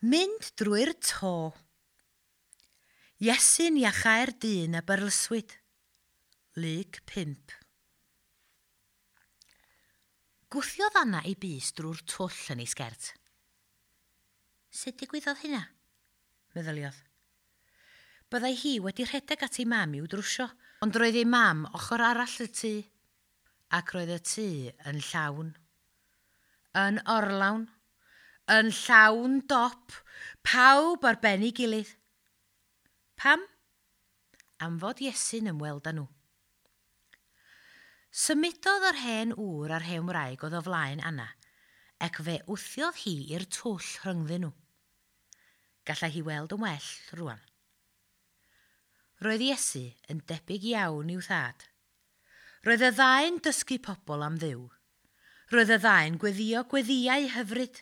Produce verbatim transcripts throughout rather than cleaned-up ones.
Mynd drwy'r to. Iesu'n iachau'r dyn a byrlyswyd. Luc pump. Gwthiodd Anna ei bys drwy'r twll yn ei sgert. Sut digwyddodd hynna? Meddyliodd. Byddai hi wedi rhedeg at ei mam i'w drwsio, ond roedd ei mam ochr arall y tŷ, ac roedd y tŷ yn llawn. Yn orlawn, yn llawn dop, pawb ar ben ei gilydd. Pam? Am fod Iesu'n ymweld â nhw. Symudodd yr hen ŵr a'r hen wraig oedd o flaen Anna, ac fe wthiodd hi i'r twll rhyngddyn nhw. Gallai hi weld yn well rwan. Roedd Iesu yn debyg iawn i'w thad. Roedd y ddau'n dysgu pobl am Dduw. Roedd y ddau'n gweddio gweddiau hyfryd.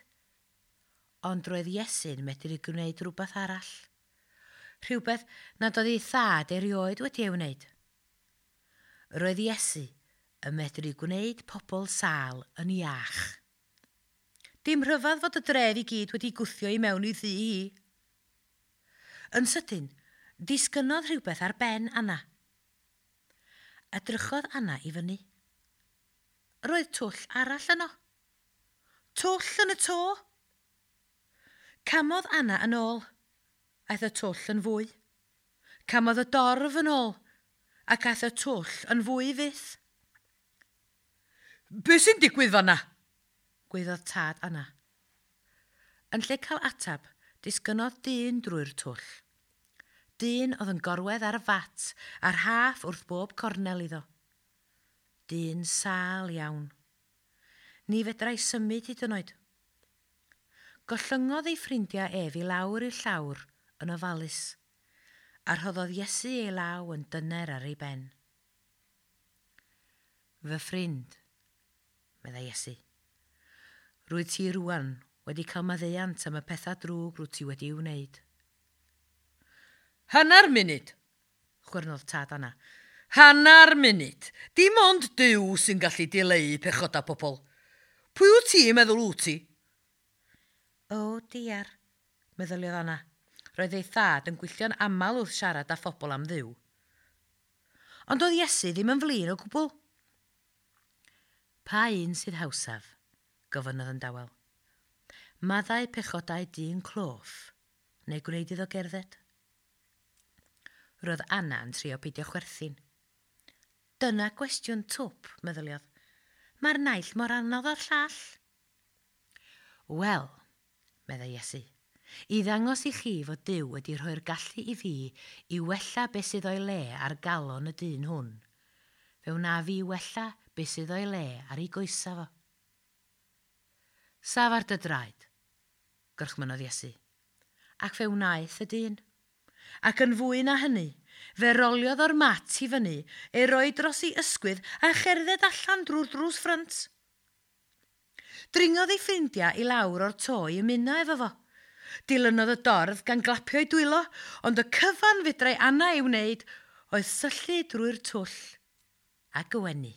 Ond roedd Iesu'n medru gwneud rhywbeth arall. Rhywbeth nad oedd ei thad erioed wedi ei wneud. Roedd Iesu yn medru gwneud pobl sâl yn iach. Dim rhyfedd fod y dref i gyd wedi gwthio i mewn i thŷ hi. Yn sydyn, disgynnodd rhywbeth ar ben Anna. Edrychodd Anna i fyny. Roedd twll arall yno. Twll yn y to. Camodd Anna yn ôl. Aeth y twll yn fwy. Camodd y dorf yn ôl, ac aeth y twll yn fwy fyth. Be sy'n digwydd fanna? Gwaeddodd tad Anna. Yn lle cael atab, disgynnodd dyn drwy'r twll. Dyn oedd yn gorwedd ar y fat a'r rhaff wrth bob cornel iddo. Dyn sâl iawn. Ni fedrai symud hyd yn oed. Gollyngodd ei ffrindiau ef i lawr i'r llawr yn ofalus, a rhoddodd Iesu ei law yn dyner ar ei ben. Fy ffrind, meddai Iesu, rwyt ti rwan wedi cael maddeuant am y pethau drwg rwyt ti wedi ei wneud. Hannar munud, chwyrnodd tad Anna. Hannar munud. Dim ond Duw sy'n gallu dileu pechodau pobl. Pwy wyt ti'n meddwl wyt ti? O, diar, meddyliodd Anna. Roedd ei thad yn gwylltio'n aml wrth siarad â phobl am Dduw. Ond oedd Iesu ddim yn flin o gwbl. Pa un sydd hawsaf? Gofynnodd yn dawel. Maddau pechodau dyn cloff, neu gwneud iddo gerdded? Roedd Anna yn trio peidio chwerthin. Dyna gwestiwn twp, meddyliodd. Mae'r naill mor anodd â'r llall. Wel, meddai Iesu, i ddangos i chi fod Duw wedi rhoi'r gallu i fi i wella beth sydd o'i le ar galon y dyn hwn, fe wna fi wella beth sydd o'i le ar ei goesa fo. Saf ar dy draed, gorchmynnodd Iesu, ac fe wnaeth y dyn. Ac yn fwy na hynny, fe roliodd o'r mat i fyny, ei roi dros ei ysgwydd a cherdded allan drwy'r drws ffrynt. Dringodd ei ffrindiau i lawr o'r to i ymuno efo fo. Dilynodd y dorf gan glapio ei dwylo, ond y cyfan fedrai Anna ei wneud oedd syllu drwy'r twll a gwenu.